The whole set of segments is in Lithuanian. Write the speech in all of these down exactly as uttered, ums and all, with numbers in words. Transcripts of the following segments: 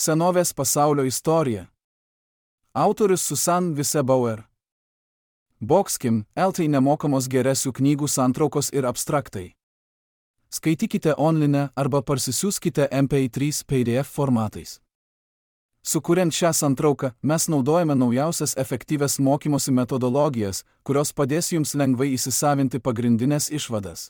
Senovės pasaulio istorija. Autorius Susan Vise-Bauer. Boxkim, eltai nemokamos geresių knygų santraukos ir abstraktai. Skaitykite online arba parsisiųskite M P trys P D F formatais. Sukuriant šią santrauką, mes naudojame naujausias efektyvias mokymosi metodologijas, kurios padės jums lengvai įsisavinti pagrindinės išvadas.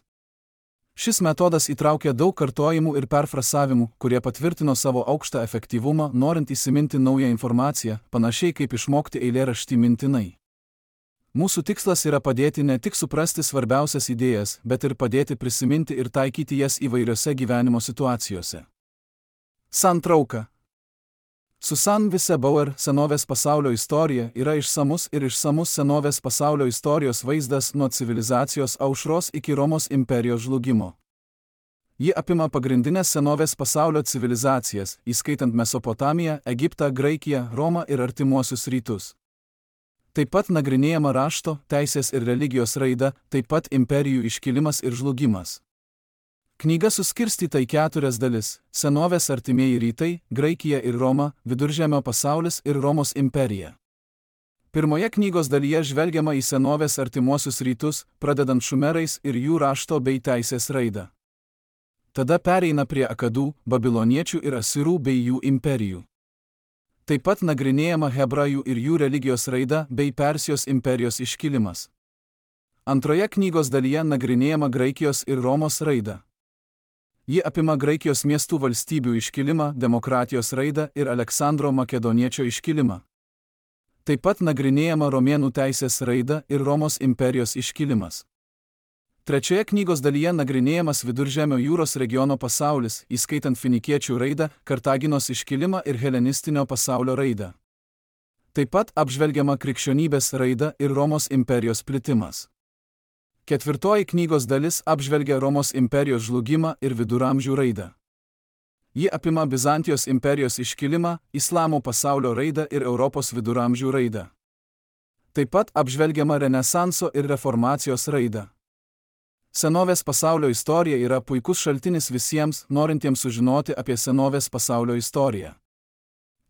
Šis metodas įtraukia daug kartojimų ir perfrasavimų, kurie patvirtino savo aukštą efektyvumą, norint įsiminti naują informaciją, panašiai kaip išmokti eilėraštį mintinai. Mūsų tikslas yra padėti ne tik suprasti svarbiausias idėjas, bet ir padėti prisiminti ir taikyti jas įvairiose gyvenimo situacijose. Santrauka. Susan Vise-Bauer Senovės pasaulio istorija yra išsamus ir išsamus senovės pasaulio istorijos vaizdas nuo civilizacijos aušros iki Romos imperijos žlugimo. Ji apima pagrindinės senovės pasaulio civilizacijas, įskaitant Mesopotamiją, Egiptą, Graikiją, Romą ir artimuosius rytus. Taip pat nagrinėjama rašto, teisės ir religijos raida, taip pat imperijų iškilimas ir žlugimas. Knyga suskirstyta į keturias dalis – senovės artimieji rytai, Graikija ir Roma, Viduržemio pasaulis ir Romos imperija. Pirmoje knygos dalyje žvelgiama į senovės artimuosius rytus, pradedant šumerais ir jų rašto bei teisės raidą. Tada pereina prie akadų, babiloniečių ir asirų bei jų imperijų. Taip pat nagrinėjama hebrajų ir jų religijos raida bei Persijos imperijos iškilimas. Antroje knygos dalyje nagrinėjama Graikijos ir Romos raida. Ji apima Graikijos miestų valstybių iškilimą, demokratijos raidą ir Aleksandro Makedoniečio iškilimą. Taip pat nagrinėjama romėnų teisės raida ir Romos imperijos iškilimas. Trečioje knygos dalyje nagrinėjamas Viduržemio jūros regiono pasaulis, įskaitant finikiečių raidą, Kartaginos iškilimą ir helenistinio pasaulio raidą. Taip pat apžvelgiama krikščionybės raida ir Romos imperijos plitimas. Ketvirtoji knygos dalis apžvelgia Romos imperijos žlugimą ir viduramžių raidą. Ji apima Bizantijos imperijos iškilimą, Islamo pasaulio raidą ir Europos viduramžių raidą. Taip pat apžvelgiama Renesanso ir Reformacijos raidą. Senovės pasaulio istorija yra puikus šaltinis visiems, norintiems sužinoti apie senovės pasaulio istoriją.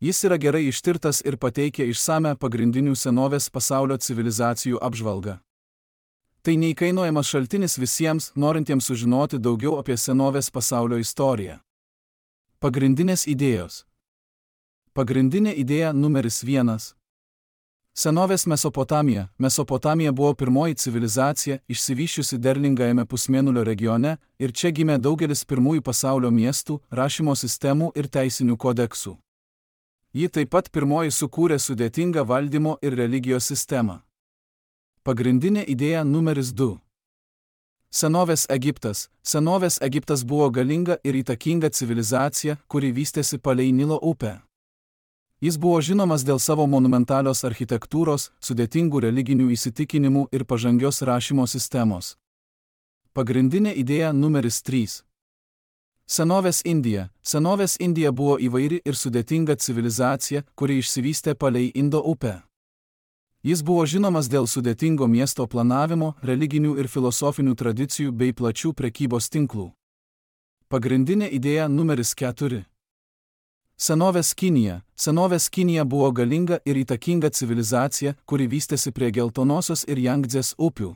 Jis yra gerai ištirtas ir pateikia išsamią pagrindinių senovės pasaulio civilizacijų apžvalgą. Tai neįkainojamas šaltinis visiems, norintiems sužinoti daugiau apie senovės pasaulio istoriją. Pagrindinės idėjos. Pagrindinė idėja numeris vienas. Senovės Mesopotamija. Mesopotamija buvo pirmoji civilizacija, išsivysčiusi derlingajame pusmėnulio regione, ir čia gimė daugelis pirmųjų pasaulio miestų, rašymo sistemų ir teisinių kodeksų. Ji taip pat pirmoji sukūrė sudėtingą valdymo ir religijos sistemą. Pagrindinė idėja numeris du. Senovės Egiptas. Senovės Egiptas buvo galinga ir įtakinga civilizacija, kuri vystėsi palei Nilo upę. Jis buvo žinomas dėl savo monumentalios architektūros, sudėtingų religinių įsitikinimų ir pažangios rašymo sistemos. Pagrindinė idėja numeris trys. Senovės Indija. Senovės Indija buvo įvairi ir sudėtinga civilizacija, kuri išsivystė palei Indo upę. Jis buvo žinomas dėl sudėtingo miesto planavimo, religinių ir filosofinių tradicijų bei plačių prekybos tinklų. Pagrindinė idėja numeris keturi. Senovės Kinija. Senovės Kinija buvo galinga ir įtakinga civilizacija, kuri vystėsi prie Geltonosios ir Jangdzės upių.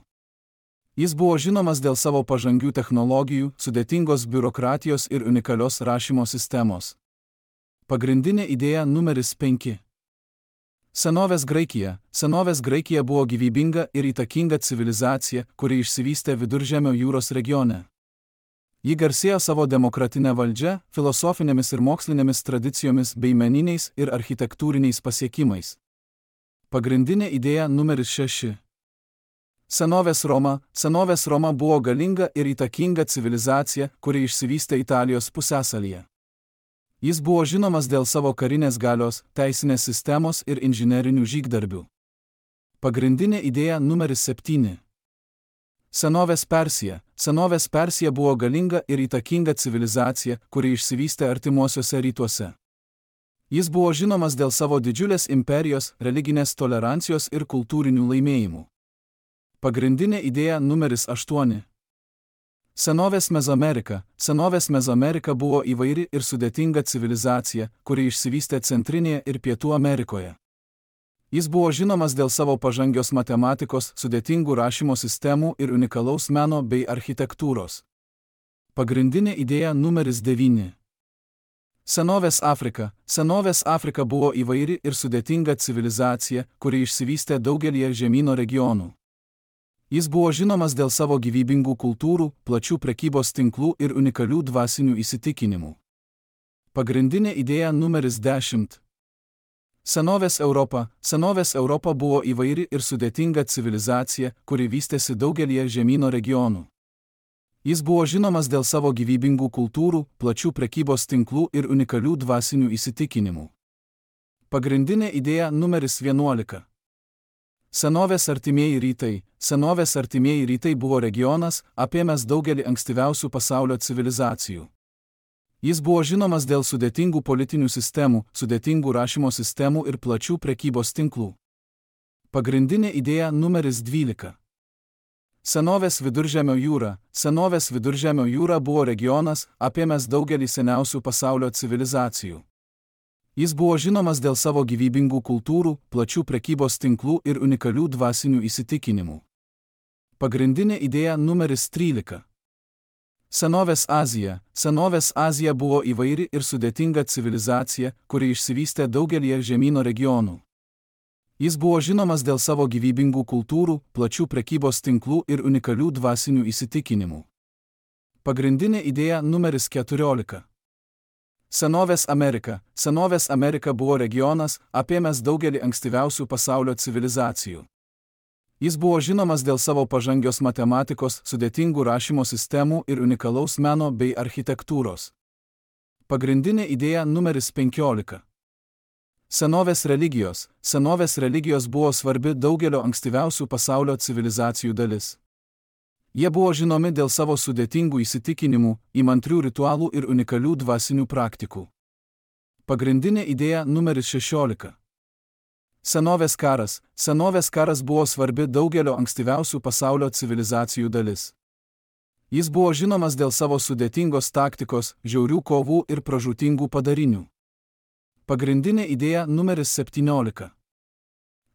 Jis buvo žinomas dėl savo pažangių technologijų, sudėtingos biurokratijos ir unikalios rašymo sistemos. Pagrindinė idėja numeris penki. Senovės Graikija. Senovės Graikija buvo gyvybinga ir įtakinga civilizacija, kuri išsivystė Viduržemio jūros regione. Ji garsėjo savo demokratinę valdžią, filosofinėmis ir mokslinėmis tradicijomis bei meniniais ir architektūriniais pasiekimais. Pagrindinė idėja numeris šeši. Senovės Roma. Senovės Roma buvo galinga ir įtakinga civilizacija, kuri išsivystė Italijos pusiasalyje. Jis buvo žinomas dėl savo karinės galios, teisinės sistemos ir inžinerinių žygdarbių. Pagrindinė idėja numeris septyni. Senovės Persija. Senovės Persija buvo galinga ir įtakinga civilizacija, kuri išsivystė artimuosiuose rytuose. Jis buvo žinomas dėl savo didžiulės imperijos, religinės tolerancijos ir kultūrinių laimėjimų. Pagrindinė idėja numeris aštuoni. Senovės Mezoamerika. Senovės Mezoamerika buvo įvairi ir sudėtinga civilizacija, kuri išsivystė Centrinėje ir Pietų Amerikoje. Jis buvo žinomas dėl savo pažangios matematikos, sudėtingų rašymo sistemų ir unikalaus meno bei architektūros. Pagrindinė idėja numeris devyni. Senovės Afrika. Senovės Afrika buvo įvairi ir sudėtinga civilizacija, kuri išsivystė daugelyje žemyno regionų. Jis buvo žinomas dėl savo gyvybingų kultūrų, plačių prekybos tinklų ir unikalių dvasinių įsitikinimų. Pagrindinė idėja numeris dešimt. Senovės Europa. Senovės Europa buvo įvairi ir sudėtinga civilizacija, kuri vystėsi daugelyje žemyno regionų. Jis buvo žinomas dėl savo gyvybingų kultūrų, plačių prekybos tinklų ir unikalių dvasinių įsitikinimų. Pagrindinė idėja numeris vienuolika. Senovės artimieji rytai. Senovės artimieji rytai buvo regionas, apėmęs daugelį ankstyviausių pasaulio civilizacijų. Jis buvo žinomas dėl sudėtingų politinių sistemų, sudėtingų rašymo sistemų ir plačių prekybos tinklų. Pagrindinė idėja numeris dvylika. Senovės Viduržemio jūra. Senovės Viduržemio jūra buvo regionas, apėmęs daugelį seniausių pasaulio civilizacijų. Jis buvo žinomas dėl savo gyvybingų kultūrų, plačių prekybos tinklų ir unikalių dvasinių įsitikinimų. Pagrindinė idėja numeris trylika. Senovės Azija. Senovės Azija buvo įvairi ir sudėtinga civilizacija, kuri išsivystė daugelyje žemyno regionų. Jis buvo žinomas dėl savo gyvybingų kultūrų, plačių prekybos tinklų ir unikalių dvasinių įsitikinimų. Pagrindinė idėja numeris keturiolika. Senovės Amerika. Senovės Amerika buvo regionas, apėmęs daugelį ankstyviausių pasaulio civilizacijų. Jis buvo žinomas dėl savo pažangios matematikos, sudėtingų rašymo sistemų ir unikalaus meno bei architektūros. Pagrindinė idėja numeris penkiolika. Senovės religijos. Senovės religijos buvo svarbi daugelio ankstyviausių pasaulio civilizacijų dalis. Jie buvo žinomi dėl savo sudėtingų įsitikinimų, įmantrių ritualų ir unikalių dvasinių praktikų. Pagrindinė idėja numeris šešiolika. Senovės karas. Senovės karas buvo svarbi daugelio ankstyviausių pasaulio civilizacijų dalis. Jis buvo žinomas dėl savo sudėtingos taktikos, žiaurių kovų ir pražūtingų padarinių. Pagrindinė idėja numeris septyniolika.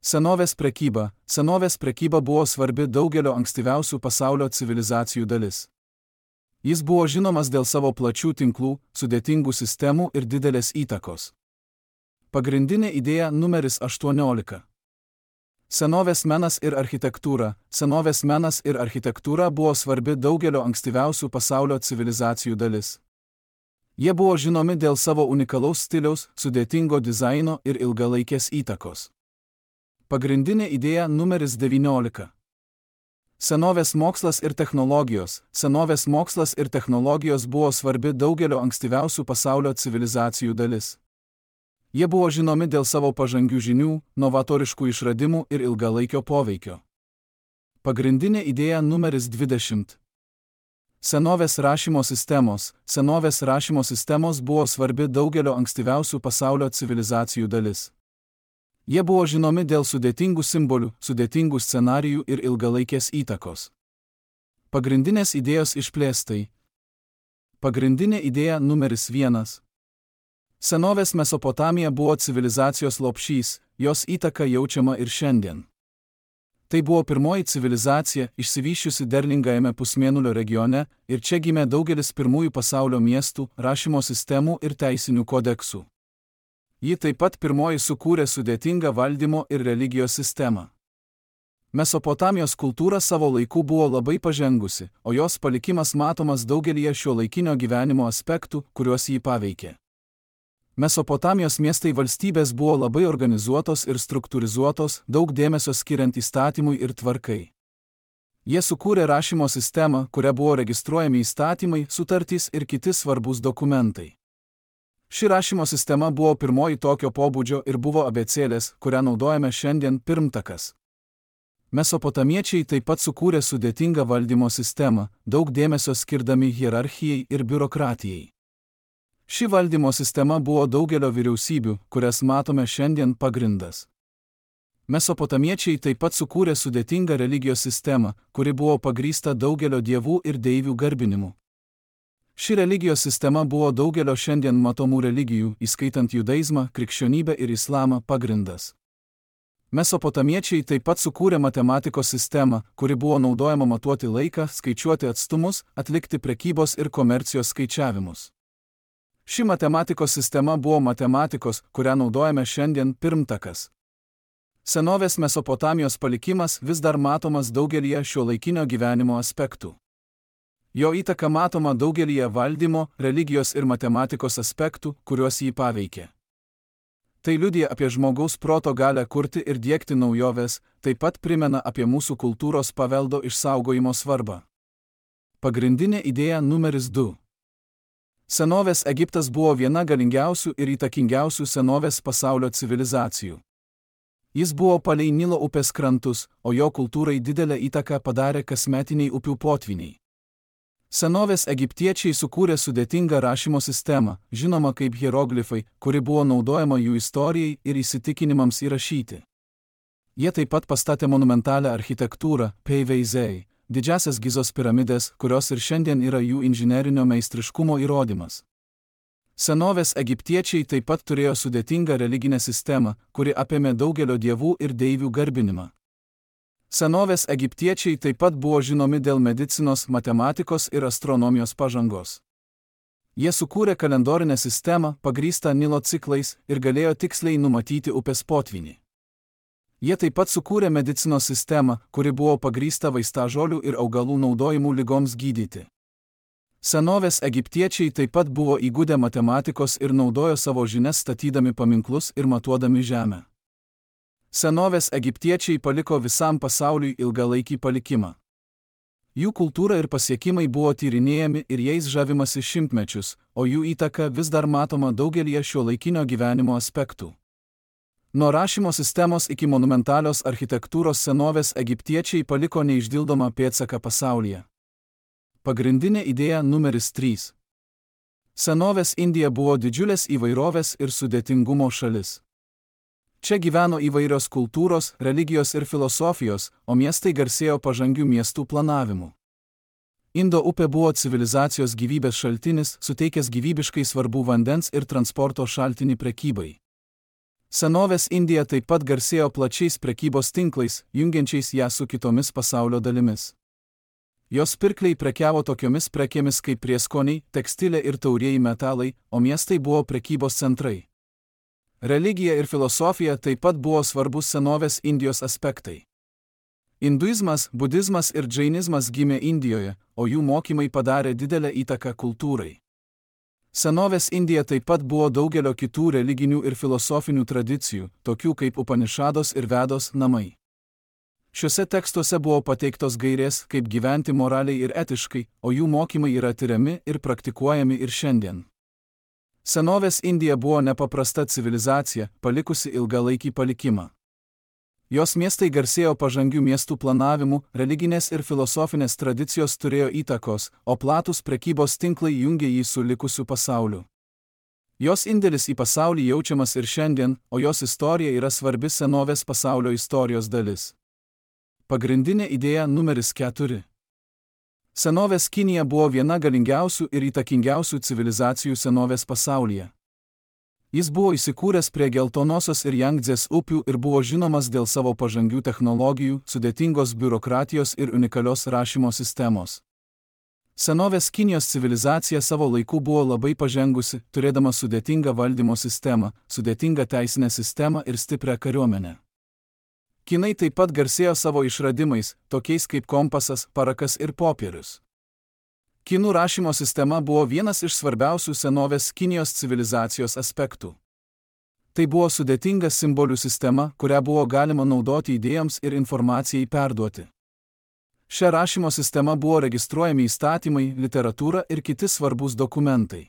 Senovės prekyba. Senovės prekyba buvo svarbi daugelio ankstyviausių pasaulio civilizacijų dalis. Jis buvo žinomas dėl savo plačių tinklų, sudėtingų sistemų ir didelės įtakos. Pagrindinė idėja numeris aštuoniolika. Senovės menas ir architektūra. Senovės menas ir architektūra buvo svarbi daugelio ankstyviausių pasaulio civilizacijų dalis. Jie buvo žinomi dėl savo unikalaus stiliaus, sudėtingo dizaino ir ilgalaikės įtakos. Pagrindinė idėja numeris devyniolika. Senovės mokslas ir technologijos. Senovės mokslas ir technologijos buvo svarbi daugelio ankstyviausių pasaulio civilizacijų dalis. Jie buvo žinomi dėl savo pažangių žinių, novatoriškų išradimų ir ilgalaikio poveikio. Pagrindinė idėja numeris dvidešimt. Senovės rašymo sistemos. Senovės rašymo sistemos buvo svarbi daugelio ankstyviausių pasaulio civilizacijų dalis. Jie buvo žinomi dėl sudėtingų simbolių, sudėtingų scenarijų ir ilgalaikės įtakos. Pagrindinės idėjos išplėstai. Pagrindinė idėja numeris vienas. Senovės Mesopotamija buvo civilizacijos lopšys, jos įtaka jaučiama ir šiandien. Tai buvo pirmoji civilizacija, išsivysčiusi derlingajame pusmėnulio regione, ir čia gimė daugelis pirmųjų pasaulio miestų, rašymo sistemų ir teisinių kodeksų. Ji taip pat pirmoji sukūrė sudėtingą valdymo ir religijos sistemą. Mesopotamijos kultūra savo laiku buvo labai pažengusi, o jos palikimas matomas daugelyje šiuolaikinio gyvenimo aspektų, kuriuos jį paveikė. Mesopotamijos miestai valstybės buvo labai organizuotos ir struktūrizuotos, daug dėmesio skiriant įstatymui ir tvarkai. Jie sukūrė rašymo sistemą, kuria buvo registruojami įstatymai, sutartys ir kiti svarbus dokumentai. Ši rašymo sistema buvo pirmoji tokio pobūdžio ir buvo abėcėlės, kurią naudojame šiandien, pirmtakas. Mesopotamiečiai taip pat sukūrė sudėtingą valdymo sistemą, daug dėmesio skirdami hierarchijai ir biurokratijai. Ši valdymo sistema buvo daugelio vyriausybių, kurias matome šiandien, pagrindas. Mesopotamiečiai taip pat sukūrė sudėtingą religijos sistemą, kuri buvo pagrįsta daugelio dievų ir deivių garbinimu. Ši religijos sistema buvo daugelio šiandien matomų religijų, įskaitant judaizmą, krikščionybę ir islamą, pagrindas. Mesopotamiečiai taip pat sukūrė matematikos sistemą, kuri buvo naudojama matuoti laiką, skaičiuoti atstumus, atlikti prekybos ir komercijos skaičiavimus. Ši matematikos sistema buvo matematikos, kurią naudojame šiandien, pirmtakas. Senovės Mesopotamijos palikimas vis dar matomas daugelyje šiuolaikinio gyvenimo aspektų. Jo įtaka matoma daugelyje valdymo, religijos ir matematikos aspektų, kuriuos jį paveikė. Tai liudija apie žmogaus proto galią kurti ir diegti naujoves, taip pat primena apie mūsų kultūros paveldo išsaugojimo svarbą. Pagrindinė idėja numeris du. Senovės Egiptas buvo viena galingiausių ir įtakingiausių senovės pasaulio civilizacijų. Jis buvo palei Nilo upės krantus, o jo kultūrai didelę įtaką padarė kasmetiniai upių potviniai. Senovės egiptiečiai sukūrė sudėtingą rašymo sistemą, žinoma kaip hieroglifai, kuri buvo naudojama jų istorijai ir įsitikinimams įrašyti. Jie taip pat pastatė monumentalią architektūrą, Peiveizei, didžiasias Gizos piramidės, kurios ir šiandien yra jų inžinerinio meistriškumo įrodymas. Senovės egiptiečiai taip pat turėjo sudėtingą religinę sistemą, kuri apėmė daugelio dievų ir deivių garbinimą. Senovės egiptiečiai taip pat buvo žinomi dėl medicinos, matematikos ir astronomijos pažangos. Jie sukūrė kalendorinę sistemą, pagrįstą Nilo ciklais, ir galėjo tiksliai numatyti upės potvynį. Jie taip pat sukūrė medicinos sistemą, kuri buvo pagrįsta vaistažolių ir augalų naudojimu ligoms gydyti. Senovės egiptiečiai taip pat buvo įgudę matematikos ir naudojo savo žinias statydami paminklus ir matuodami žemę. Senovės egiptiečiai paliko visam pasauliui ilgalaikį palikimą. Jų kultūra ir pasiekimai buvo tyrinėjami ir jais žavimasi šimtmečius, o jų įtaka vis dar matoma daugelyje šiuolaikinio gyvenimo aspektų. Nuo rašymo sistemos iki monumentalios architektūros senovės egiptiečiai paliko neišdildomą pėdsaką pasaulyje. Pagrindinė idėja numeris trys. Senovės Indija buvo didžiulės įvairovės ir sudėtingumo šalis. Čia gyveno įvairios kultūros, religijos ir filosofijos, o miestai garsėjo pažangių miestų planavimu. Indo upė buvo civilizacijos gyvybės šaltinis, suteikęs gyvybiškai svarbų vandens ir transporto šaltinį prekybai. Senovės Indija taip pat garsėjo plačiais prekybos tinklais, jungiančiais ją su kitomis pasaulio dalimis. Jos pirkliai prekiavo tokiomis prekėmis kaip prieskoniai, tekstilė ir taurieji metalai, o miestai buvo prekybos centrai. Religija ir filosofija taip pat buvo svarbus senovės Indijos aspektai. Induizmas, budizmas ir džainizmas gimė Indijoje, o jų mokymai padarė didelę įtaką kultūrai. Senovės Indija taip pat buvo daugelio kitų religinių ir filosofinių tradicijų, tokių kaip Upanišados ir Vedos namai. Šiuose tekstuose buvo pateiktos gairės, kaip gyventi moraliai ir etiškai, o jų mokymai yra tiriami ir praktikuojami ir šiandien. Senovės Indija buvo nepaprasta civilizacija, palikusi ilgalaikį palikimą. Jos miestai garsėjo pažangių miestų planavimu, religinės ir filosofinės tradicijos turėjo įtakos, o platūs prekybos tinklai jungė jį su likusiu pasauliu. Jos indėlis į pasaulį jaučiamas ir šiandien, o jos istorija yra svarbi senovės pasaulio istorijos dalis. Pagrindinė idėja numeris keturi. Senovės Kinija buvo viena galingiausių ir įtakingiausių civilizacijų senovės pasaulyje. Jis buvo įsikūręs prie Geltonosios ir Jangdzės upių ir buvo žinomas dėl savo pažangių technologijų, sudėtingos biurokratijos ir unikalios rašymo sistemos. Senovės Kinijos civilizacija savo laiku buvo labai pažengusi, turėdama sudėtingą valdymo sistemą, sudėtingą teisinę sistemą ir stiprią kariuomenę. Kinai taip pat garsėjo savo išradimais, tokiais kaip kompasas, parakas ir popierius. Kinų rašymo sistema buvo vienas iš svarbiausių senovės Kinijos civilizacijos aspektų. Tai buvo sudėtinga simbolių sistema, kurią buvo galima naudoti idėjoms ir informacijai perduoti. Šia rašymo sistema buvo registruojami įstatymai, literatūra ir kiti svarbūs dokumentai.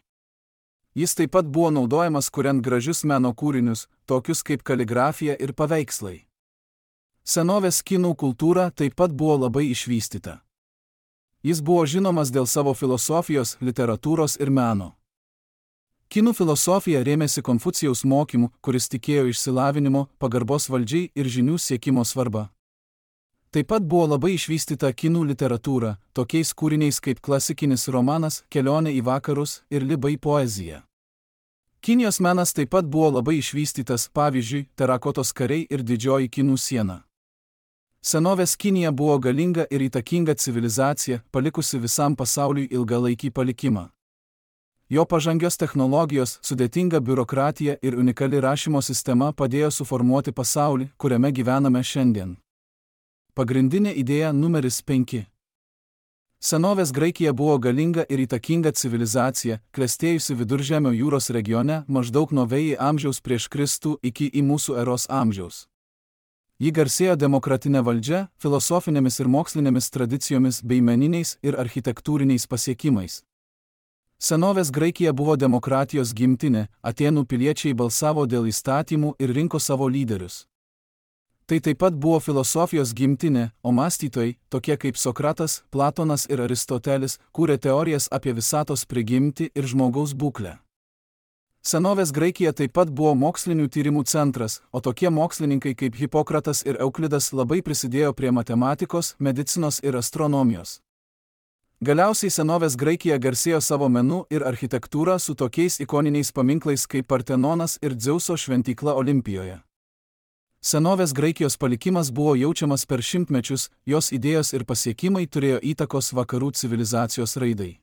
Jis taip pat buvo naudojamas kuriant gražius meno kūrinius, tokius kaip kaligrafija ir paveikslai. Senovės kinų kultūra taip pat buvo labai išvystyta. Jis buvo žinomas dėl savo filosofijos, literatūros ir meno. Kinų filosofija rėmėsi Konfucijaus mokymu, kuris tikėjo išsilavinimo, pagarbos valdžiai ir žinių siekimo svarba. Taip pat buvo labai išvystyta kinų literatūra, tokiais kūriniais kaip klasikinis romanas Kelionė į vakarus ir Libai poezija. Kinijos menas taip pat buvo labai išvystytas, pavyzdžiui, terakotos kariai ir didžioji Kinų siena. Senovės Kinija buvo galinga ir įtakinga civilizacija, palikusi visam pasauliui ilgalaikį palikimą. Jo pažangios technologijos, sudėtinga biurokratija ir unikali rašymo sistema padėjo suformuoti pasaulį, kuriame gyvename šiandien. Pagrindinė idėja numeris penki. Senovės Graikija buvo galinga ir įtakinga civilizacija, klestėjusi Viduržemio jūros regione maždaug nuo Vėjai amžiaus prieš Kristų iki į mūsų eros amžiaus. Ji garsėjo demokratinė valdžia, filosofinėmis ir mokslinėmis tradicijomis bei meniniais ir architektūriniais pasiekimais. Senovės Graikija buvo demokratijos gimtinė, Atėnų piliečiai balsavo dėl įstatymų ir rinko savo lyderius. Tai taip pat buvo filosofijos gimtinė, o mąstytojai, tokie kaip Sokratas, Platonas ir Aristotelis, kūrė teorijas apie visatos prigimtį ir žmogaus būklę. Senovės Graikija taip pat buvo mokslinių tyrimų centras, o tokie mokslininkai kaip Hipokratas ir Euklidas labai prisidėjo prie matematikos, medicinos ir astronomijos. Galiausiai senovės Graikija garsėjo savo menu ir architektūrą su tokiais ikoniniais paminklais kaip Partenonas ir Dzeuso šventykla Olimpijoje. Senovės Graikijos palikimas buvo jaučiamas per šimtmečius, jos idėjos ir pasiekimai turėjo įtakos vakarų civilizacijos raidai.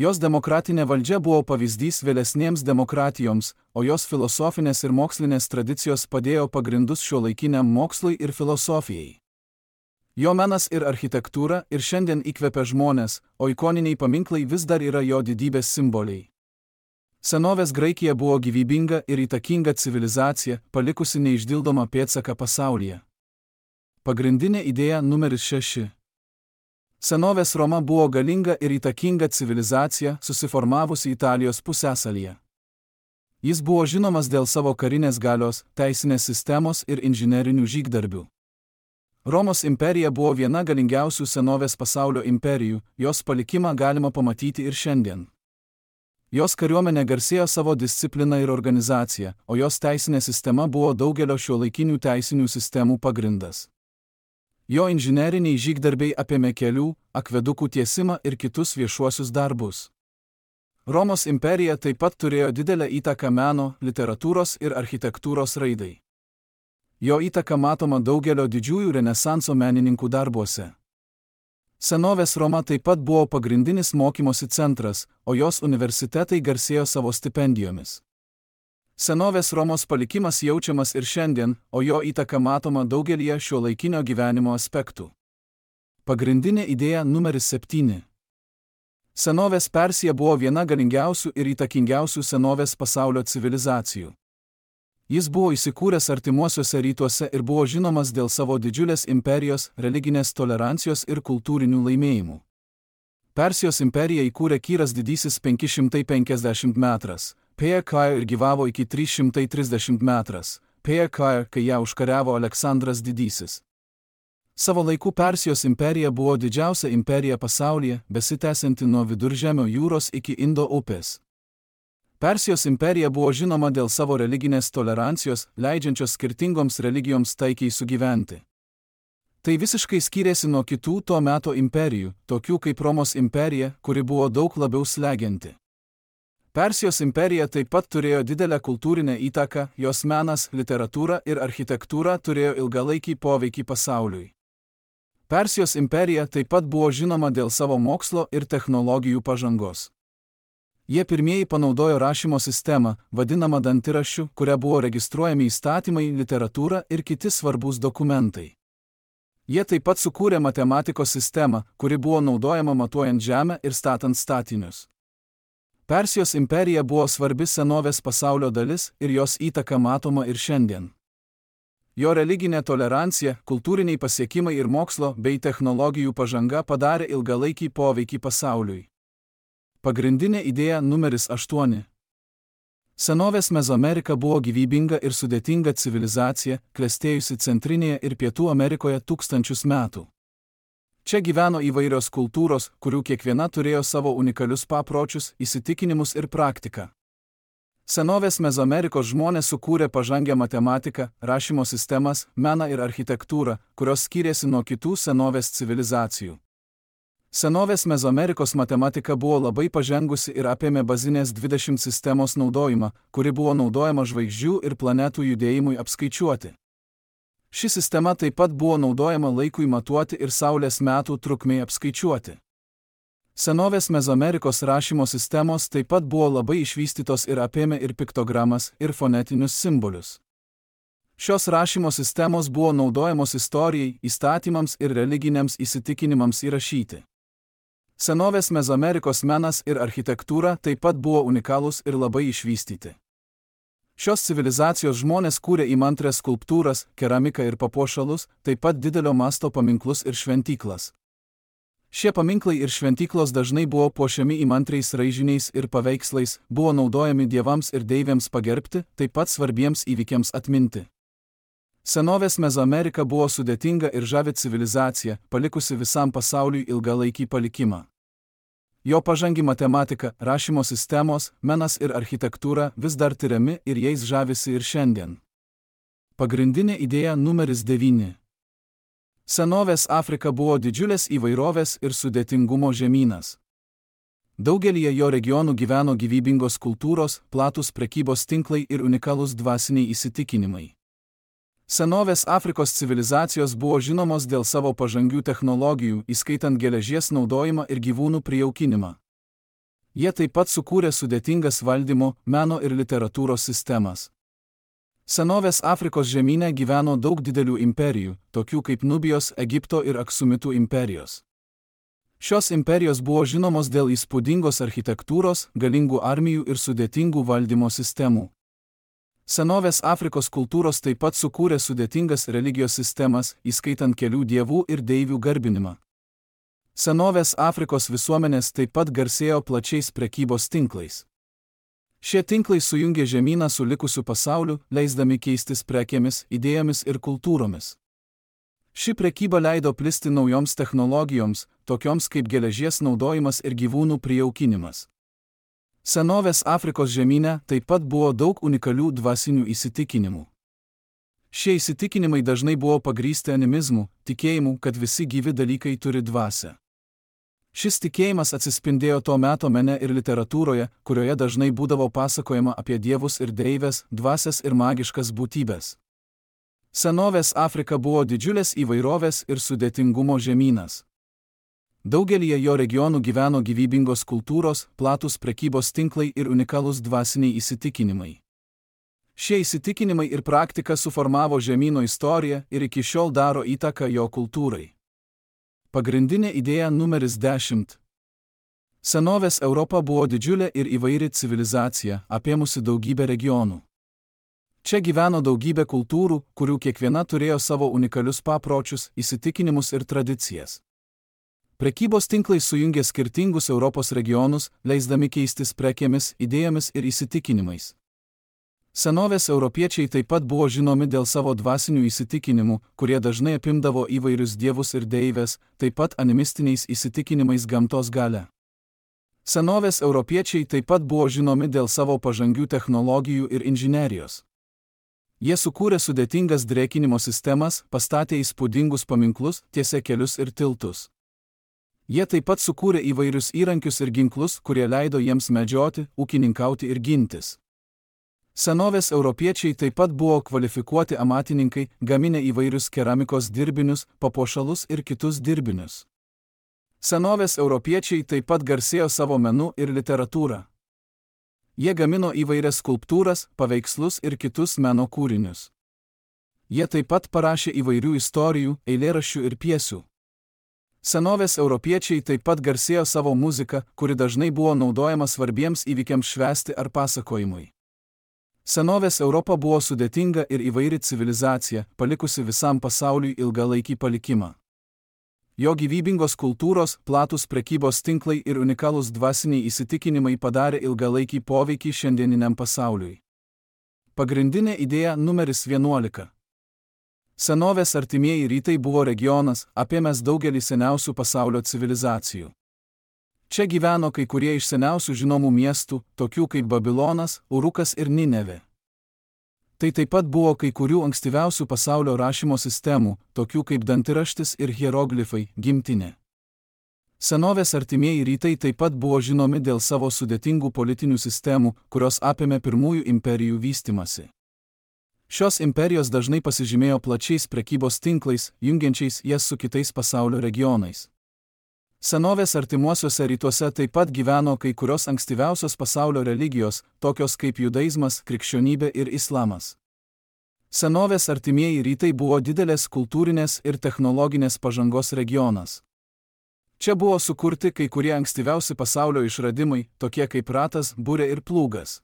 Jos demokratinė valdžia buvo pavyzdys vėlesnėms demokratijoms, o jos filosofinės ir mokslinės tradicijos padėjo pagrindus šiuolaikiniam mokslui ir filosofijai. Jo menas ir architektūra ir šiandien įkvepia žmones, o ikoniniai paminklai vis dar yra jo didybės simboliai. Senovės Graikija buvo gyvybinga ir įtakinga civilizacija, palikusi neišdildomą pėdsaką pasaulyje. Pagrindinė idėja numeris šeši. Senovės Roma buvo galinga ir įtakinga civilizacija, susiformavusi Italijos pusiasalyje. Jis buvo žinomas dėl savo karinės galios, teisinės sistemos ir inžinerinių žygdarbių. Romos imperija buvo viena galingiausių senovės pasaulio imperijų, jos palikimą galima pamatyti ir šiandien. Jos kariuomenė garsėjo savo discipliną ir organizaciją, o jos teisinė sistema buvo daugelio šiuolaikinių teisinių sistemų pagrindas. Jo inžineriniai žygdarbiai apėmė kelių, akvedukų tiesimą ir kitus viešuosius darbus. Romos imperija taip pat turėjo didelę įtaką meno, literatūros ir architektūros raidai. Jo įtaka matoma daugelio didžiųjų renesanso menininkų darbuose. Senovės Roma taip pat buvo pagrindinis mokymosi centras, o jos universitetai garsėjo savo stipendijomis. Senovės Romos palikimas jaučiamas ir šiandien, o jo įtaka matoma daugelyje šiuolaikinio gyvenimo aspektų. Pagrindinė idėja numeris septyni. Senovės Persija buvo viena galingiausių ir įtakingiausių senovės pasaulio civilizacijų. Jis buvo įsikūręs artimuosiuose rytuose ir buvo žinomas dėl savo didžiulės imperijos, religinės tolerancijos ir kultūrinių laimėjimų. Persijos imperiją įkūrė Kyras didysis penki šimtai penkiasdešimt metras, P K ir gyvavo iki trys šimtai trisdešimt metras, P K, kai ją užkariavo Aleksandras didysis. Savo laiku Persijos imperija buvo didžiausia imperija pasaulyje, besitęsianti nuo Viduržemio jūros iki Indo upės. Persijos imperija buvo žinoma dėl savo religinės tolerancijos, leidžiančios skirtingoms religijoms taikiai sugyventi. Tai visiškai skyrėsi nuo kitų to meto imperijų, tokių kaip Romos imperija, kuri buvo daug labiau slegianti. Persijos imperija taip pat turėjo didelę kultūrinę įtaką, jos menas, literatūra ir architektūra turėjo ilgalaikį poveikį pasauliui. Persijos imperija taip pat buvo žinoma dėl savo mokslo ir technologijų pažangos. Jie pirmieji panaudojo rašymo sistemą, vadinamą dantiraščiu, kuria buvo registruojami įstatymai, literatūra ir kiti svarbūs dokumentai. Jie taip pat sukūrė matematikos sistemą, kuri buvo naudojama matuojant žemę ir statant statinius. Persijos imperija buvo svarbi senovės pasaulio dalis ir jos įtaka matoma ir šiandien. Jo religinė tolerancija, kultūriniai pasiekimai ir mokslo bei technologijų pažanga padarė ilgalaikį poveikį pasauliui. Pagrindinė idėja numeris aštuoni. Senovės Mezoamerika buvo gyvybinga ir sudėtinga civilizacija, klestėjusi Centrinėje ir Pietų Amerikoje tūkstančius metų. Čia gyveno įvairios kultūros, kurių kiekviena turėjo savo unikalius papročius, įsitikinimus ir praktiką. Senovės Mezoamerikos žmonės sukūrė pažangę matematiką, rašymo sistemas, meną ir architektūrą, kurios skyrėsi nuo kitų senovės civilizacijų. Senovės Mezoamerikos matematika buvo labai pažengusi ir apėmė bazinės dvidešimt sistemos naudojimą, kuri buvo naudojama žvaigždžių ir planetų judėjimui apskaičiuoti. Ši sistema taip pat buvo naudojama laikui matuoti ir Saulės metų trukmei apskaičiuoti. Senovės Mezoamerikos rašymo sistemos taip pat buvo labai išvystytos ir apėmė ir piktogramas, ir fonetinius simbolius. Šios rašymo sistemos buvo naudojamos istorijai, įstatymams ir religiniams įsitikinimams įrašyti. Senovės Mezoamerikos menas ir architektūra taip pat buvo unikalūs ir labai išvystyti. Šios civilizacijos žmonės kūrė įmantrias skulptūras, keramiką ir papuošalus, taip pat didelio masto paminklus ir šventyklas. Šie paminklai ir šventyklos dažnai buvo puošiami įmantriais raižiniais ir paveikslais, buvo naudojami dievams ir deivėms pagerbti, taip pat svarbiems įvykiams atminti. Senovės Mezoamerika buvo sudėtinga ir žavi civilizacija, palikusi visam pasauliui ilgalaikį palikimą. Jo pažangi matematika, rašymo sistemos, menas ir architektūra vis dar tiriami ir jais žavisi ir šiandien. Pagrindinė idėja numeris devyni. Senovės Afrika buvo didžiulės įvairovės ir sudėtingumo žemynas. Daugelyje jo regionų gyveno gyvybingos kultūros, platūs prekybos tinklai ir unikalūs dvasiniai įsitikinimai. Senovės Afrikos civilizacijos buvo žinomos dėl savo pažangių technologijų, įskaitant geležies naudojimą ir gyvūnų prijaukinimą. Jie taip pat sukūrė sudėtingas valdymo, meno ir literatūros sistemas. Senovės Afrikos žemyne gyveno daug didelių imperijų, tokių kaip Nubijos, Egipto ir Aksumitų imperijos. Šios imperijos buvo žinomos dėl įspūdingos architektūros, galingų armijų ir sudėtingų valdymo sistemų. Senovės Afrikos kultūros taip pat sukūrė sudėtingas religijos sistemas, įskaitant kelių dievų ir deivių garbinimą. Senovės Afrikos visuomenės taip pat garsėjo plačiais prekybos tinklais. Šie tinklai sujungė žemyną su likusiu pasauliu, leisdami keistis prekėmis, idėjomis ir kultūromis. Ši prekyba leido plisti naujoms technologijoms, tokioms kaip geležies naudojimas ir gyvūnų prijaukinimas. Senovės Afrikos žemyne taip pat buvo daug unikalių dvasinių įsitikinimų. Šie įsitikinimai dažnai buvo pagrįsti animizmu, tikėjimu, kad visi gyvi dalykai turi dvasią. Šis tikėjimas atsispindėjo to meto mene ir literatūroje, kurioje dažnai būdavo pasakojama apie dievus ir deivės, dvasias ir magiškas būtybės. Senovės Afrika buvo didžiulės įvairovės ir sudėtingumo žemynas. Daugelyje jo regionų gyveno gyvybingos kultūros, platūs prekybos tinklai ir unikalūs dvasiniai įsitikinimai. Šie įsitikinimai ir praktika suformavo žemyno istoriją ir iki šiol daro įtaką jo kultūrai. Pagrindinė idėja numeris dešimt. Senovės Europa buvo didžiulė ir įvairi civilizacija, apėmusi daugybę regionų. Čia gyveno daugybė kultūrų, kurių kiekviena turėjo savo unikalius papročius, įsitikinimus ir tradicijas. Prekybos tinklai sujungė skirtingus Europos regionus, leisdami keistis prekėmis, idėjomis ir įsitikinimais. Senovės europiečiai taip pat buvo žinomi dėl savo dvasinių įsitikinimų, kurie dažnai apimdavo įvairius dievus ir deivės, taip pat animistiniais įsitikinimais gamtos galia. Senovės europiečiai taip pat buvo žinomi dėl savo pažangių technologijų ir inžinerijos. Jie sukūrė sudėtingas drėkinimo sistemas, pastatė įspūdingus paminklus, tiesė kelius ir tiltus. Jie taip pat sukūrė įvairius įrankius ir ginklus, kurie leido jiems medžioti, ūkininkauti ir gintis. Senovės europiečiai taip pat buvo kvalifikuoti amatininkai, gaminę įvairius keramikos dirbinius, papuošalus ir kitus dirbinius. Senovės europiečiai taip pat garsėjo savo menu ir literatūrą. Jie gamino įvairias skulptūras, paveikslus ir kitus meno kūrinius. Jie taip pat parašė įvairių istorijų, eilėraščių ir pjesių. Senovės europiečiai taip pat garsėjo savo muziką, kuri dažnai buvo naudojama svarbiems įvykiams švęsti ar pasakojimui. Senovės Europa buvo sudėtinga ir įvairi civilizacija, palikusi visam pasauliui ilgalaikį palikimą. Jo gyvybingos kultūros, platūs prekybos tinklai ir unikalūs dvasiniai įsitikinimai padarė ilgalaikį poveikį šiandieniniam pasauliui. Pagrindinė idėja numeris vienuolika. Senovės artimieji rytai buvo regionas, apėmęs daugelį seniausių pasaulio civilizacijų. Čia gyveno kai kurie iš seniausių žinomų miestų, tokių kaip Babilonas, Urukas ir Ninevė. Tai taip pat buvo kai kurių ankstyviausių pasaulio rašymo sistemų, tokių kaip dantiraštis ir hieroglifai, gimtinė. Senovės artimieji rytai taip pat buvo žinomi dėl savo sudėtingų politinių sistemų, kurios apėmė pirmųjų imperijų vystymasi. Šios imperijos dažnai pasižymėjo plačiais prekybos tinklais, jungiančiais jas su kitais pasaulio regionais. Senovės artimuosiuose rytuose taip pat gyveno kai kurios ankstyviausios pasaulio religijos, tokios kaip judaizmas, krikščionybė ir islamas. Senovės artimieji rytai buvo didelės kultūrinės ir technologinės pažangos regionas. Čia buvo sukurti kai kurie ankstyviausi pasaulio išradimai, tokie kaip ratas, burė ir plūgas.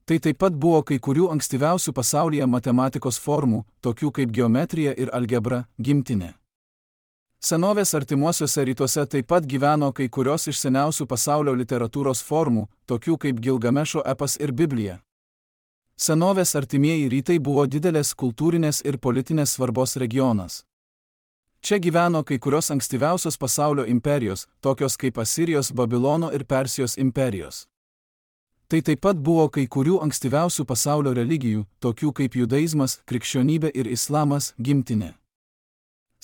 Tai taip pat buvo kai kurių ankstyviausių pasaulyje matematikos formų, tokių kaip geometrija ir algebra, gimtinė. Senovės artimuosiuose rytuose taip pat gyveno kai kurios iš seniausių pasaulio literatūros formų, tokių kaip Gilgamešo epas ir Biblija. Senovės artimieji rytai buvo didelės kultūrinės ir politinės svarbos regionas. Čia gyveno kai kurios ankstyviausios pasaulio imperijos, tokios kaip Asirijos, Babilono ir Persijos imperijos. Tai taip pat buvo kai kurių ankstyviausių pasaulio religijų, tokių kaip judaizmas, krikščionybė ir islamas, gimtinė.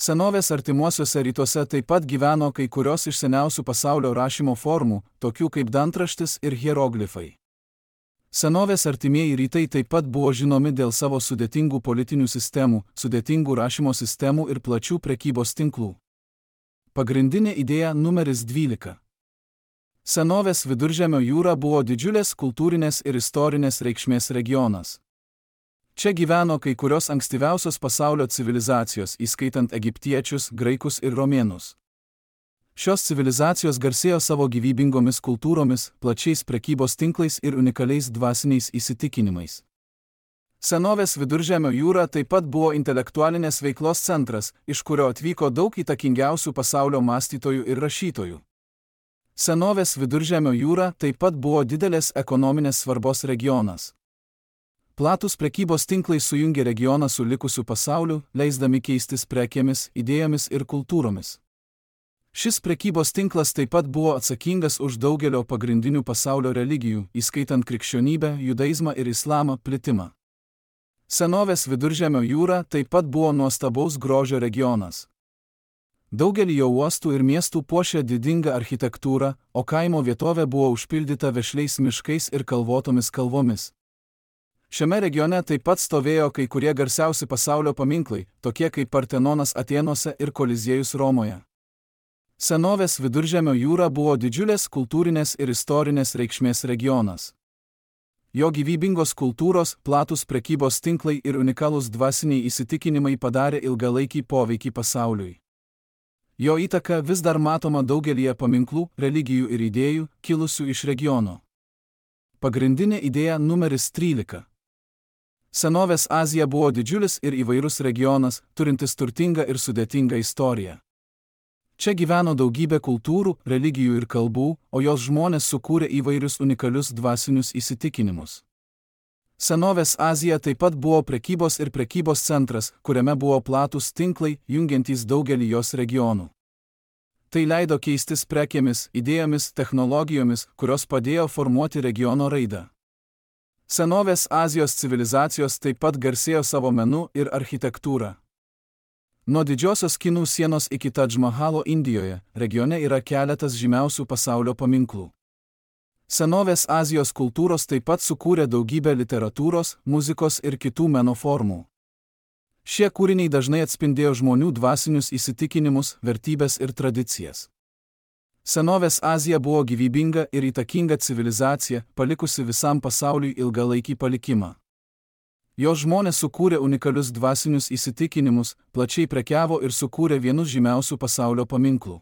Senovės artimuosiuose rytuose taip pat gyveno kai kurios iš seniausių pasaulio rašymo formų, tokių kaip dantraštis ir hieroglifai. Senovės artimieji rytai taip pat buvo žinomi dėl savo sudėtingų politinių sistemų, sudėtingų rašymo sistemų ir plačių prekybos tinklų. Pagrindinė idėja numeris dvylika. Senovės Viduržemio jūra buvo didžiulės kultūrinės ir istorinės reikšmės regionas. Čia gyveno kai kurios ankstyviausios pasaulio civilizacijos, įskaitant egiptiečius, graikus ir romėnus. Šios civilizacijos garsėjo savo gyvybingomis kultūromis, plačiais prekybos tinklais ir unikaliais dvasiniais įsitikinimais. Senovės Viduržemio jūra taip pat buvo intelektualinės veiklos centras, iš kurio atvyko daug įtakingiausių pasaulio mąstytojų ir rašytojų. Senovės Viduržemio jūra taip pat buvo didelės ekonominės svarbos regionas. Platus prekybos tinklai sujungė regioną su likusiu pasauliu, leisdami keistis prekėmis, idėjomis ir kultūromis. Šis prekybos tinklas taip pat buvo atsakingas už daugelio pagrindinių pasaulio religijų, įskaitant krikščionybę, judaizmą ir islamą, plitimą. Senovės Viduržemio jūra taip pat buvo nuostabaus grožio regionas. Daugelį jo uostų ir miestų puošė didinga architektūra, o kaimo vietovė buvo užpildyta vešliais miškais ir kalvotomis kalvomis. Šiame regione taip pat stovėjo kai kurie garsiausi pasaulio paminklai, tokie kaip Partenonas Atėnuose ir Koliziejus Romoje. Senovės Viduržemio jūra buvo didžiulės kultūrinės ir istorinės reikšmės regionas. Jo gyvybingos kultūros, platus prekybos tinklai ir unikalūs dvasiniai įsitikinimai padarė ilgalaikį poveikį pasauliui. Jo įtaka vis dar matoma daugelyje paminklų, religijų ir idėjų, kilusių iš regiono. Pagrindinė idėja numeris trylika. Senovės Azija buvo didžiulis ir įvairus regionas, turintis turtingą ir sudėtingą istoriją. Čia gyveno daugybė kultūrų, religijų ir kalbų, o jos žmonės sukūrė įvairius unikalius dvasinius įsitikinimus. Senovės Azija taip pat buvo prekybos ir prekybos centras, kuriame buvo platus tinklai, jungiantys daugelį jos regionų. Tai leido keistis prekėmis, idėjomis, technologijomis, kurios padėjo formuoti regiono raidą. Senovės Azijos civilizacijos taip pat garsėjo savo menu ir architektūrą. Nuo didžiosios Kinų sienos iki Tadž Mahalo Indijoje, regione yra keletas žymiausių pasaulio paminklų. Senovės Azijos kultūros taip pat sukūrė daugybę literatūros, muzikos ir kitų meno formų. Šie kūriniai dažnai atspindėjo žmonių dvasinius įsitikinimus, vertybes ir tradicijas. Senovės Azija buvo gyvybinga ir įtakinga civilizacija, palikusi visam pasauliui ilgalaikį palikimą. Jos žmonės sukūrė unikalius dvasinius įsitikinimus, plačiai prekiavo ir sukūrė vienus žymiausių pasaulio paminklų.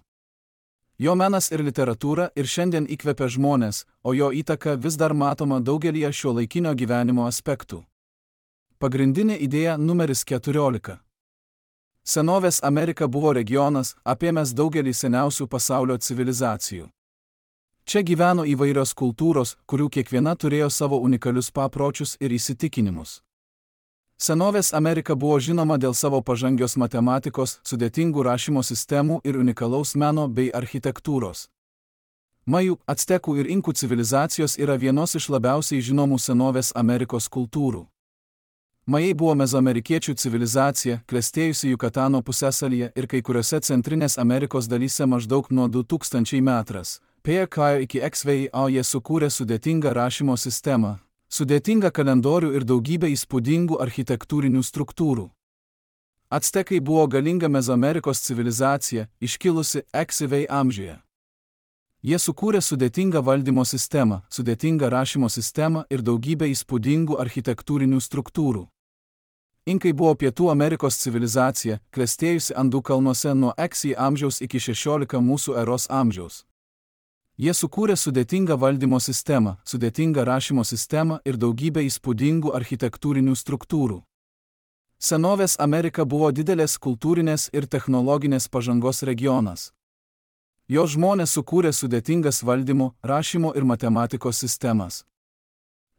Jo menas ir literatūra ir šiandien įkvepia žmonės, o jo įtaka vis dar matoma daugelyje šiuolaikinio gyvenimo aspektų. Pagrindinė idėja numeris keturiolika. Senovės Amerika buvo regionas, apėmęs daugelį seniausių pasaulio civilizacijų. Čia gyveno įvairios kultūros, kurių kiekviena turėjo savo unikalius papročius ir įsitikinimus. Senovės Amerika buvo žinoma dėl savo pažangios matematikos, sudėtingų rašymo sistemų ir unikalaus meno bei architektūros. Majų, actekų ir inkų civilizacijos yra vienos iš labiausiai žinomų senovės Amerikos kultūrų. Majai buvo mezoamerikiečių civilizacija, klestėjusi Jukatano pusiasalyje ir kai kuriuose Centrinės Amerikos dalyse maždaug nuo du tūkstančiai metras. P K iki X V I A jie sukūrė sudėtingą rašymo sistemą, sudėtingą kalendorių ir daugybę įspūdingų architektūrinių struktūrų. Actekai buvo galinga Mezoamerikos civilizacija, iškilusi X V I amžiuje. Jie sukūrė sudėtingą valdymo sistemą, sudėtingą rašymo sistemą ir daugybę įspūdingų architektūrinių struktūrų. Inkai buvo Pietų Amerikos civilizacija, klestėjusi Andų kalnuose nuo X V I amžiaus iki šešiolika mūsų eros amžiaus. Jie sukūrė sudėtingą valdymo sistemą, sudėtingą rašymo sistemą ir daugybę įspūdingų architektūrinių struktūrų. Senovės Amerika buvo didelės kultūrinės ir technologinės pažangos regionas. Jos žmonės sukūrė sudėtingas valdymo, rašymo ir matematikos sistemas.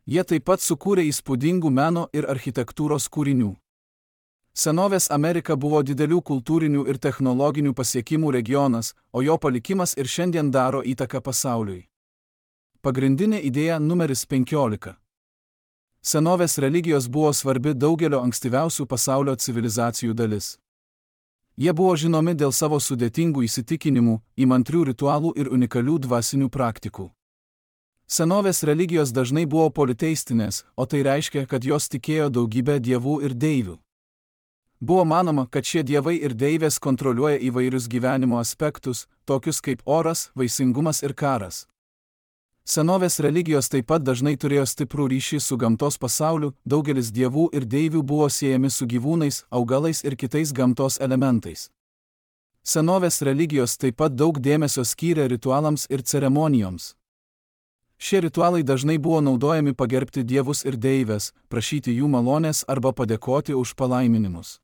Jie taip pat sukūrė įspūdingų meno ir architektūros kūrinių. Senovės Amerika buvo didelių kultūrinių ir technologinių pasiekimų regionas, o jo palikimas ir šiandien daro įtaką pasauliui. Pagrindinė idėja numeris penkiolika. Senovės religijos buvo svarbi daugelio ankstyviausių pasaulio civilizacijų dalis. Jie buvo žinomi dėl savo sudėtingų įsitikinimų, įmantrių ritualų ir unikalių dvasinių praktikų. Senovės religijos dažnai buvo politeistinės, o tai reiškia, kad jos tikėjo daugybę dievų ir deivių. Buvo manoma, kad šie dievai ir deivės kontroliuoja įvairius gyvenimo aspektus, tokius kaip oras, vaisingumas ir karas. Senovės religijos taip pat dažnai turėjo stiprų ryšį su gamtos pasauliu, daugelis dievų ir deivių buvo siejami su gyvūnais, augalais ir kitais gamtos elementais. Senovės religijos taip pat daug dėmesio skyrė ritualams ir ceremonijoms. Šie ritualai dažnai buvo naudojami pagerbti dievus ir deivės, prašyti jų malonės arba padėkoti už palaiminimus.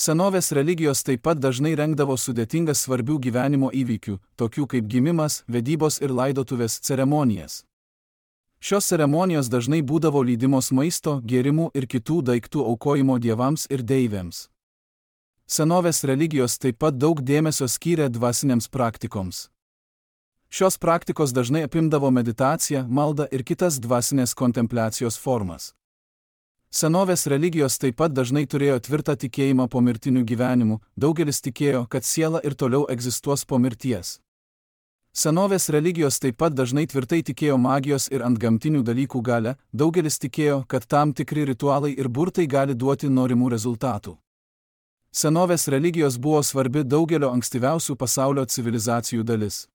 Senovės religijos taip pat dažnai rengdavo sudėtingas svarbių gyvenimo įvykių, tokių kaip gimimas, vedybos ir laidotuvės ceremonijas. Šios ceremonijos dažnai būdavo lydimos maisto, gėrimų ir kitų daiktų aukojimo dievams ir deivėms. Senovės religijos taip pat daug dėmesio skyrė dvasinėms praktikoms. Šios praktikos dažnai apimdavo meditaciją, maldą ir kitas dvasinės kontempliacijos formas. Senovės religijos taip pat dažnai turėjo tvirtą tikėjimą pomirtiniu gyvenimu, daugelis tikėjo, kad siela ir toliau egzistuos po mirties. Senovės religijos taip pat dažnai tvirtai tikėjo magijos ir antgamtinių dalykų galią, daugelis tikėjo, kad tam tikri ritualai ir burtai gali duoti norimų rezultatų. Senovės religijos buvo svarbi daugelio ankstyviausių pasaulio civilizacijų dalis.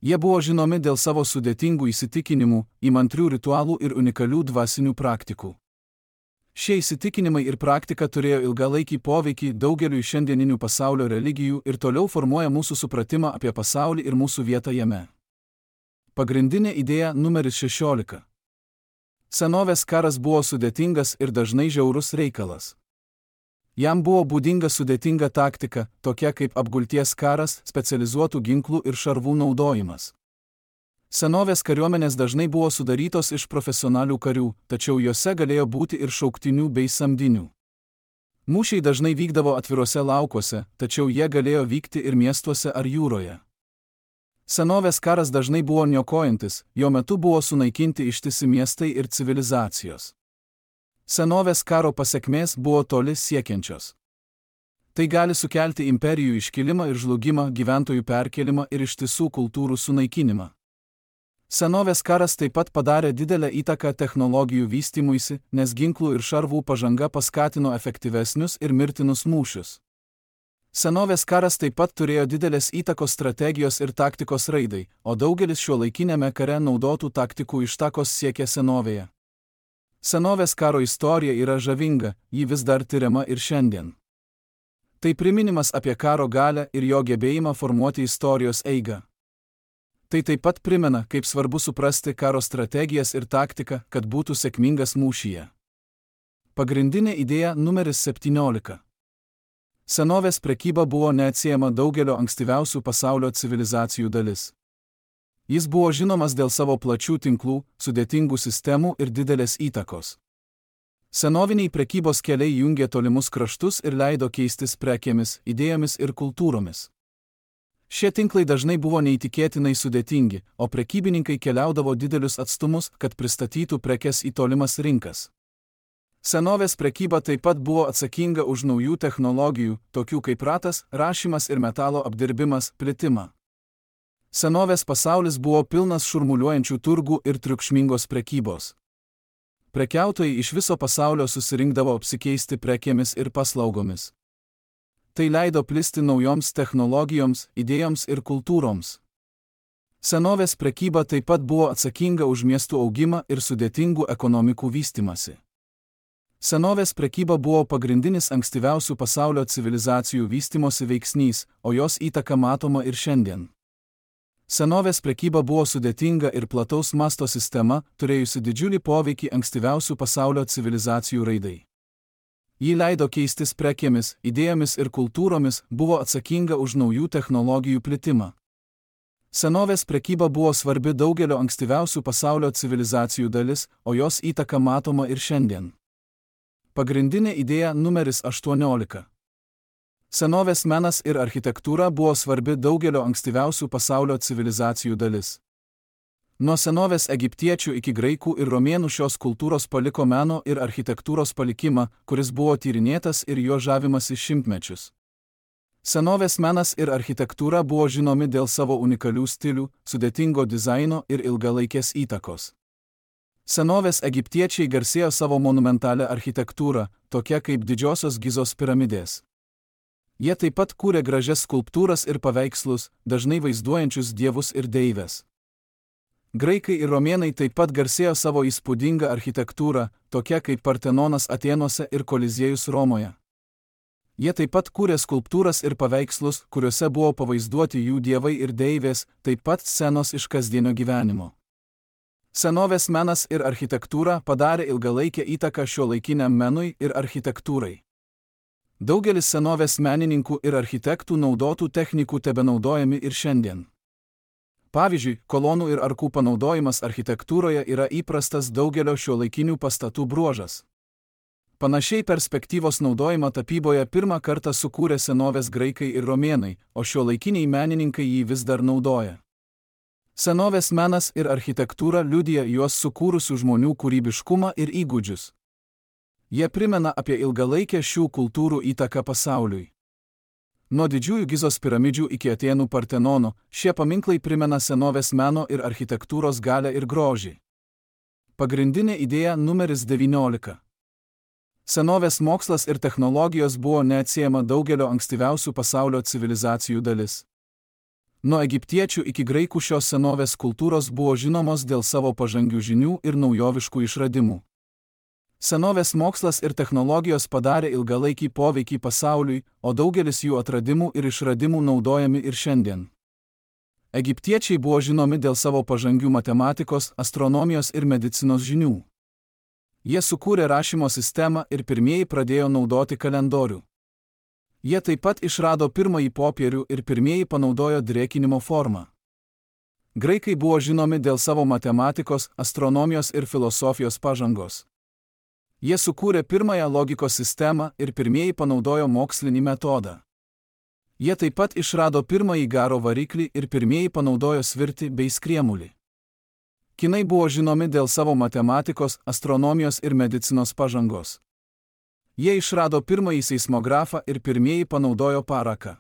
Jie buvo žinomi dėl savo sudėtingų įsitikinimų, įmantrių ritualų ir unikalių dvasinių praktikų. Šie įsitikinimai ir praktika turėjo ilgalaikį poveikį daugeliui šiandieninių pasaulio religijų ir toliau formuoja mūsų supratimą apie pasaulį ir mūsų vietą jame. Pagrindinė idėja numeris šešiolika. Senovės karas buvo sudėtingas ir dažnai žiaurus reikalas. Jam buvo būdinga sudėtinga taktika, tokia kaip apgulties karas, specializuotų ginklų ir šarvų naudojimas. Senovės kariuomenės dažnai buvo sudarytos iš profesionalių karių, tačiau jose galėjo būti ir šauktinių bei samdinių. Mūšiai dažnai vykdavo atviruose laukuose, tačiau jie galėjo vykti ir miestuose ar jūroje. Senovės karas dažnai buvo niokojantis, jo metu buvo sunaikinti ištisi miestai ir civilizacijos. Senovės karo pasekmės buvo toli siekiančios. Tai gali sukelti imperijų iškilimą ir žlugimą, gyventojų perkelimą ir ištisų kultūrų sunaikinimą. Senovės karas taip pat padarė didelę įtaką technologijų vystymuisi, nes ginklų ir šarvų pažanga paskatino efektyvesnius ir mirtinus mūšius. Senovės karas taip pat turėjo didelės įtakos strategijos ir taktikos raidai, o daugelis šiuolaikiniame kare naudotų taktikų ištakos siekia senovėje. Senovės karo istorija yra žavinga, ji vis dar tiriama ir šiandien. Tai priminimas apie karo galią ir jo gebėjimą formuoti istorijos eigą. Tai taip pat primena, kaip svarbu suprasti karo strategijas ir taktiką, kad būtų sėkmingas mūšyje. Pagrindinė idėja numeris septyniolika. Senovės prekyba buvo neatsiejama daugelio ankstyviausių pasaulio civilizacijų dalis. Jis buvo žinomas dėl savo plačių tinklų, sudėtingų sistemų ir didelės įtakos. Senoviniai prekybos keliai jungė tolimus kraštus ir leido keistis prekėmis, idėjomis ir kultūromis. Šie tinklai dažnai buvo neįtikėtinai sudėtingi, o prekybininkai keliaudavo didelius atstumus, kad pristatytų prekes į tolimas rinkas. Senovės prekyba taip pat buvo atsakinga už naujų technologijų, tokių kaip ratas, rašymas ir metalo apdirbimas, plitimą. Senovės pasaulis buvo pilnas šurmuliuojančių turgų ir triukšmingos prekybos. Prekiautojai iš viso pasaulio susirinkdavo apsikeisti prekėmis ir paslaugomis. Tai leido plisti naujoms technologijoms, idėjoms ir kultūroms. Senovės prekyba taip pat buvo atsakinga už miestų augimą ir sudėtingų ekonomikų vystymąsi. Senovės prekyba buvo pagrindinis ankstyviausių pasaulio civilizacijų vystymosi veiksnys, o jos įtaka matoma ir šiandien. Senovės prekyba buvo sudėtinga ir plataus masto sistema, turėjusi didžiulį poveikį ankstyviausių pasaulio civilizacijų raidai. Ji leido keistis prekėmis, idėjomis ir kultūromis, buvo atsakinga už naujų technologijų plitimą. Senovės prekyba buvo svarbi daugelio ankstyviausių pasaulio civilizacijų dalis, o jos įtaka matoma ir šiandien. Pagrindinė idėja numeris aštuoniolika. Senovės menas ir architektūra buvo svarbi daugelio ankstyviausių pasaulio civilizacijų dalis. Nuo senovės egiptiečių iki graikų ir romėnų šios kultūros paliko meno ir architektūros palikimą, kuris buvo tyrinėtas ir jo žavimasi šimtmečius. Senovės menas ir architektūra buvo žinomi dėl savo unikalių stilių, sudėtingo dizaino ir ilgalaikės įtakos. Senovės egiptiečiai garsėjo savo monumentalią architektūrą, tokia kaip didžiosios Gizos piramidės. Jie taip pat kūrė gražias skulptūras ir paveikslus, dažnai vaizduojančius dievus ir deives. Graikai ir romėnai taip pat garsėjo savo įspūdingą architektūrą, tokia kaip Partenonas Atėnuose ir Koliziejus Romoje. Jie taip pat kūrė skulptūras ir paveikslus, kuriuose buvo pavaizduoti jų dievai ir deivės, taip pat scenos iš kasdienio gyvenimo. Senovės menas ir architektūra padarė ilgalaikę įtaką šiuolaikiniam menui ir architektūrai. Daugelis senovės menininkų ir architektų naudotų technikų tebenaudojami ir šiandien. Pavyzdžiui, kolonų ir arkų panaudojimas architektūroje yra įprastas daugelio šiuolaikinių pastatų bruožas. Panašiai perspektyvos naudojimą tapyboje pirmą kartą sukūrė senovės graikai ir romėnai, o šiuolaikiniai menininkai jį vis dar naudoja. Senovės menas ir architektūra liudija juos sukūrusių žmonių kūrybiškumą ir įgūdžius. Jie primena apie ilgalaikę šių kultūrų įtaką pasauliui. Nuo didžiųjų Gizos piramidžių iki Atėnų Partenono, šie paminklai primena senovės meno ir architektūros galią ir grožį. Pagrindinė idėja numeris devyniolika. Senovės mokslas ir technologijos buvo neatsiejama daugelio ankstyviausių pasaulio civilizacijų dalis. Nuo egiptiečių iki graikų šios senovės kultūros buvo žinomos dėl savo pažangių žinių ir naujoviškų išradimų. Senovės mokslas ir technologijos padarė ilgalaikį poveikį pasauliui, o daugelis jų atradimų ir išradimų naudojami ir šiandien. Egiptiečiai buvo žinomi dėl savo pažangių matematikos, astronomijos ir medicinos žinių. Jie sukūrė rašymo sistemą ir pirmieji pradėjo naudoti kalendorių. Jie taip pat išrado pirmąjį popierių ir pirmieji panaudojo drėkinimo formą. Graikai buvo žinomi dėl savo matematikos, astronomijos ir filosofijos pažangos. Jie sukūrė pirmąją logikos sistemą ir pirmieji panaudojo mokslinį metodą. Jie taip pat išrado pirmąjį garo variklį ir pirmieji panaudojo svirtį bei skriemulį. Kinai buvo žinomi dėl savo matematikos, astronomijos ir medicinos pažangos. Jie išrado pirmąjį seismografą ir pirmieji panaudojo paraką.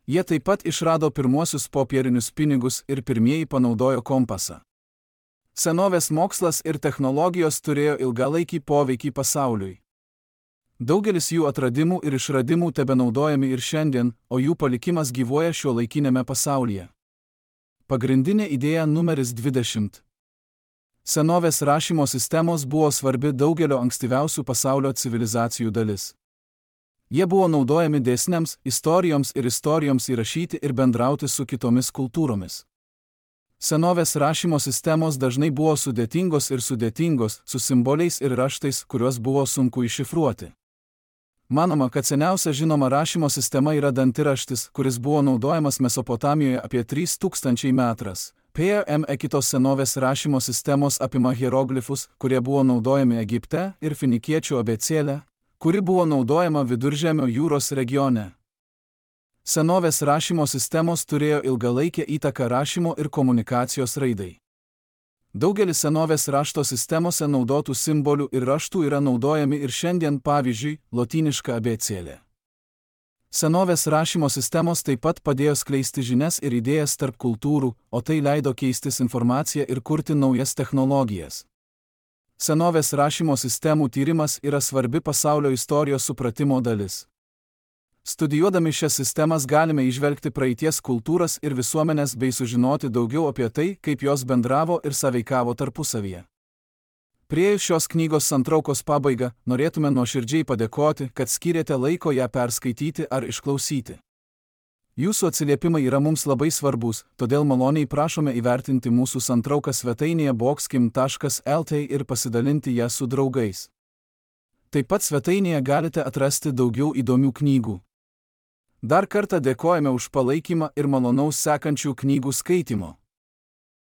Jie taip pat išrado pirmuosius popierinius pinigus ir pirmieji panaudojo kompasą. Senovės mokslas ir technologijos turėjo ilgalaikį poveikį pasauliui. Daugelis jų atradimų ir išradimų tebenaudojami ir šiandien, o jų palikimas gyvuoja šiuolaikinėme pasaulyje. Pagrindinė idėja numeris dvidešimt. Senovės rašymo sistemos buvo svarbi daugelio ankstyviausių pasaulio civilizacijų dalis. Jie buvo naudojami dėsniams, istorijoms ir istorijoms įrašyti ir bendrauti su kitomis kultūromis. Senovės rašymo sistemos dažnai buvo sudėtingos ir sudėtingos, su simboliais ir raštais, kuriuos buvo sunku iššifruoti. Manoma, kad seniausia žinoma rašymo sistema yra dantiraštis, kuris buvo naudojamas Mesopotamijoje apie trys tūkstančiai metras. P M E kitos senovės rašymo sistemos apima hieroglifus, kurie buvo naudojami Egipte, ir finikiečių abėcėlę, kuri buvo naudojama Viduržemio jūros regione. Senovės rašymo sistemos turėjo ilgalaikę įtaką rašymo ir komunikacijos raidai. Daugelis senovės rašto sistemose naudotų simbolių ir raštų yra naudojami ir šiandien, pavyzdžiui, lotyniška abėcėlė. Senovės rašymo sistemos taip pat padėjo skleisti žinias ir idėjas tarp kultūrų, o tai leido keistis informaciją ir kurti naujas technologijas. Senovės rašymo sistemų tyrimas yra svarbi pasaulio istorijos supratimo dalis. Studijuodami šias sistemas galime įžvelgti praeities kultūras ir visuomenės bei sužinoti daugiau apie tai, kaip jos bendravo ir sąveikavo tarpusavyje. Priėjus šios knygos santraukos pabaigą, norėtume nuoširdžiai padėkoti, kad skyrėte laiko ją perskaityti ar išklausyti. Jūsų atsiliepimai yra mums labai svarbus, todėl maloniai prašome įvertinti mūsų santrauką svetainėje boxkim taškas el tė ir pasidalinti ją su draugais. Taip pat svetainėje galite atrasti daugiau įdomių knygų. Dar kartą dėkojame už palaikymą ir malonaus sekančių knygų skaitymo.